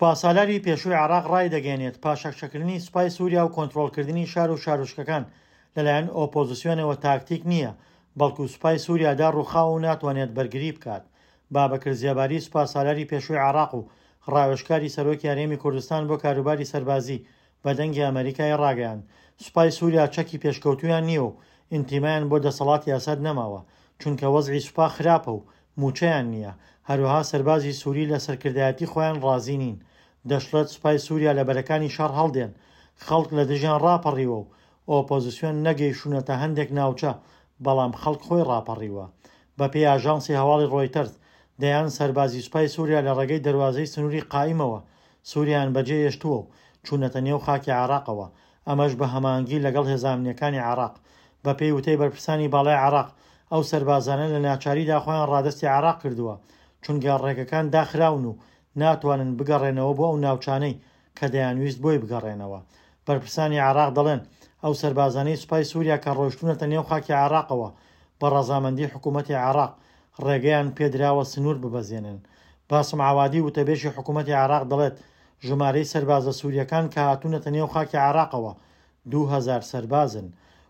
سوپاسالاری پێشووی عێراق ڕایدەگەیەنێت، پاشەکشەکردنی سوپای سووریا و کۆنترۆڵکردنی شار و شارۆچکەکان لەلایەن ئۆپۆزسیۆنەوە تاکتیک نییە، بەڵکو سوپای سووریا داڕووخاوە و ناتوانێت بەرگری بکات. بابەکر زێباری سوپاسالاری پێشووی عێراق و ڕاوێژکاری سەرۆکی هەرێمی کوردستان بۆ کاروباری سەربازی بە دەنگی ئەمەریکای ڕاگەیاند، سوپای سووریا چەکی پێشکەوتوویان نییە و ئینتیمایان بۆ دەسەڵاتی ئەسەد نەماوە، چونکە وەزعی سوپا خراپە و مووچەیان نییە، هەروەها سەربازی سووری لە سەرکردایەتی خۆیان ڕازی نین. دەشڵێت سوپای سووریا لە بەرەکانی شەڕ هەڵدێن، خەڵک لە دژیان ڕاپەڕیوە و ئۆپۆزسیۆن نەگەیشتوونەتە هەندێک ناوچە، بەڵام خەڵک خۆی ڕاپەڕیوە. بەپێی ئاژانسی هەواڵی ڕۆیتەرز، دەیان سەربازی سوپای سووریا لە ڕێگەی دەروازەی سنووری قائیمەوە سووریایان بەجێهێشتووە و چوونەتە نێو خاکی عێراقەوە، ئەمەش بە هەماهەنگی لەگەڵ هێزە ئەمنییەکانی عێراق. بەپێی وتەی بەرپرسانی باڵای عێراق، ئەو سەربازانە لە ناچاریدا خۆیان ڕادەستی عێراق کردووە، چونکە ڕێگەکان داخراون و ناتوانن بگەڕێنەوە بۆ ئەو ناوچانەی کە دەیانویست بۆی بگەڕێنەوە. بەرپرسانی عێراق دەڵێن، ئەو سەربازانەی سوپای سووریا کە ڕۆیشتوونەتە نێو خاکی عێراقەوە، بە ڕەزامەندی حکوومەتی عێراق ڕێگەیان پێدراوە سنوور ببەزێنن. باسم عەوادی وتەبێژی حکوومەتی عێراق دەڵێت، ژمارەی سەربازە سوورییەکان کە هاتوونەتە نێو خاکی عێراقەوە 2000 سەربازن.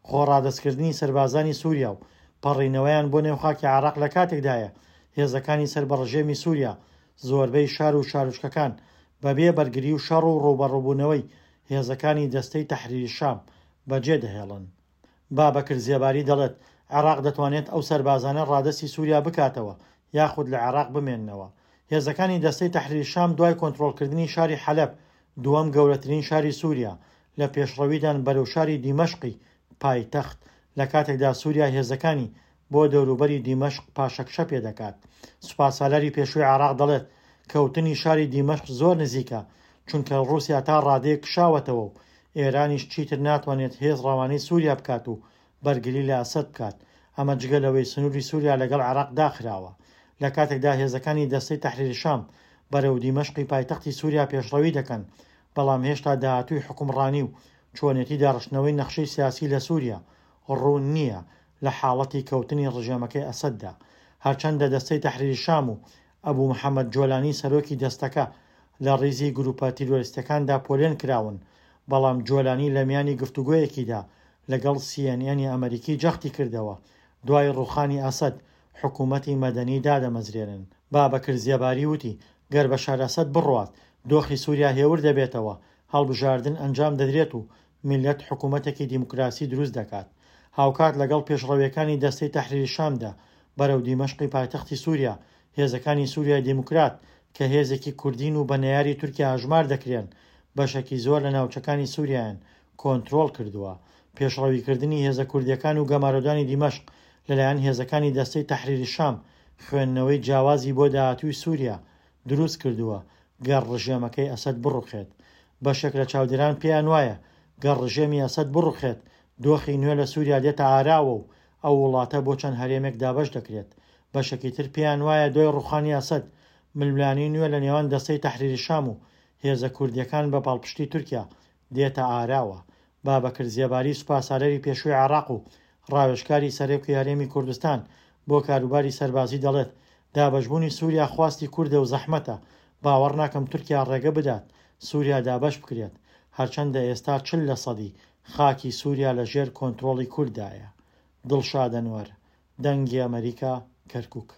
خۆ ڕادەستکردنی سەربازانی سووریا و پەڕینەوەیان بۆ نێو خاکی عێراق لە کاتێکدایە هێزەکانی سەر بە ڕژێمی سووریا زۆربەی شار و شارۆچکەکان بەبێ بەرگری و شەڕ و ڕووبەڕووبوونەوەی هێزەکانی دەستەی تەحریر شام بەجێدەهێڵن. بابەکر زێباری دەڵێت، عێراق دەتوانێت ئەو سەربازانە ڕادەستی سووریا بکاتەوە یاخود لە عێراق بمێننەوە. هێزەکانی دەستەی تەحریر شام دوای کۆنترۆڵکردنی شاری حەلەب، دووەم گەورەترین شاری سووریا، لە پێشڕەویدان بەرەو شاری دیمەشقی پایتەخت، لە کاتێکدا سووریا هێزەکانی بۆ دەوروبەری دیمەشق پاشەکشە پێدەکات. سوپاسالاری پێشووی عێراق دەڵێت، کەوتنی شاری دیمەشق زۆر نزیکە، چونکە ڕووسیا تا ڕادەیەک کشاوەتەوە و ئێرانیش چیتر ناتوانێت هێز ڕەوانەی سووریا بکات و بەرگری لە ئەسەد بکات، ئەمە جگە لەوەی سنووری سووریا لەگەڵ عێراق داخراوە. لە کاتێکدا هێزەکانی دەستەی تەحریر شام بەرەو دیمەشقی پایتەختی سووریا پێشڕەوی دەکەن، بەڵام هێشتا داهاتووی حوکمڕانی و چۆنێتی داڕشتنەوەی نەخشەی سیاسی لە سووریا ڕوون نییە لە حاڵەتی کەوتنی ڕژێمەکەی ئەسەددا. هەرچەندە دەستەی تەحریر شام و ئەبو محەمەد جۆلانی سەرۆکی دەستەکە لە ڕیزی گروپە تیرۆریستیەکاندا پۆلێن کراون، بەڵام جۆلانی لە میانی گفتوگۆیەکیدا لەگەڵ سی ئێن ئێنی ئەمەریکی جەختی کردەوە، دوای ڕووخانی ئەسەد حکوومەتی مەدەنی دادەمەزرێنن. بابەکر زێباری وتی، گەر بەشار ئەسەد بڕوات، دۆخی سووریا هێور دەبێتەوە، هەڵبژاردن ئەنجام دەدرێت و میللەت حکوومەتێکی دیموکراسی دروست دەکات. هاوکات لەگەڵ پێشڕەوییەکانی دەستەی تەحریر شامدا بەرەو دیمەشقی پایتەختی سووریا، هێزەکانی سووریای دیموکرات کە هێزێکی کوردین و بە نەیاری تورکیا هەژمار دەکرێن، بەشێکی زۆر لە ناوچەکانی سووریایان کۆنترۆڵ کردووە. پێشڕەویکردنی هێزە کوردییەکان و گەمارۆدانی دیمەشق لەلایەن هێزەکانی دەستەی تەحریر شام خوێندنەوەی جیاوازی بۆ داهاتووی سووریا دروست کردووە گەر ڕژێمەکەی ئەسەد بڕوخێت. بەشێک لە چاودێران پێیان وایە گەر ڕژێمی ئەسەد بڕوخێت دۆخی نوێ لە سووریا دێتە ئاراوە و ئەو وڵاتە بۆ چەند هەرێمێک دابەش دەکرێت. بەشێکی تر پێیان وایە دوای ڕوخانی ئەسەد ململانێی نوێ لە نێوان دەستەی تەحریر شام و هێزە کوردییەکان بە پاڵپشتی تورکیا دێتە ئاراوە. بابەکر زێباری سوپاسالاری پێشووی عێراق و ڕاوێژکاری سەرۆکی هەرێمی کوردستان بۆ کاروباری سەربازی دەڵێت، دابەشبوونی سووریا خواستی کوردە و زەحمەتە، باوەڕ ناکەم تورکیا ڕێگە بدات سووریا دابەش بکرێت، هەرچەندە ئێستا 40 لەسەدی خاکی سووریا لە ژێر کۆنترۆڵی کورددایە. دڵشاد ئەنوەر، دەنگی ئەمەریکا، کەرکوک.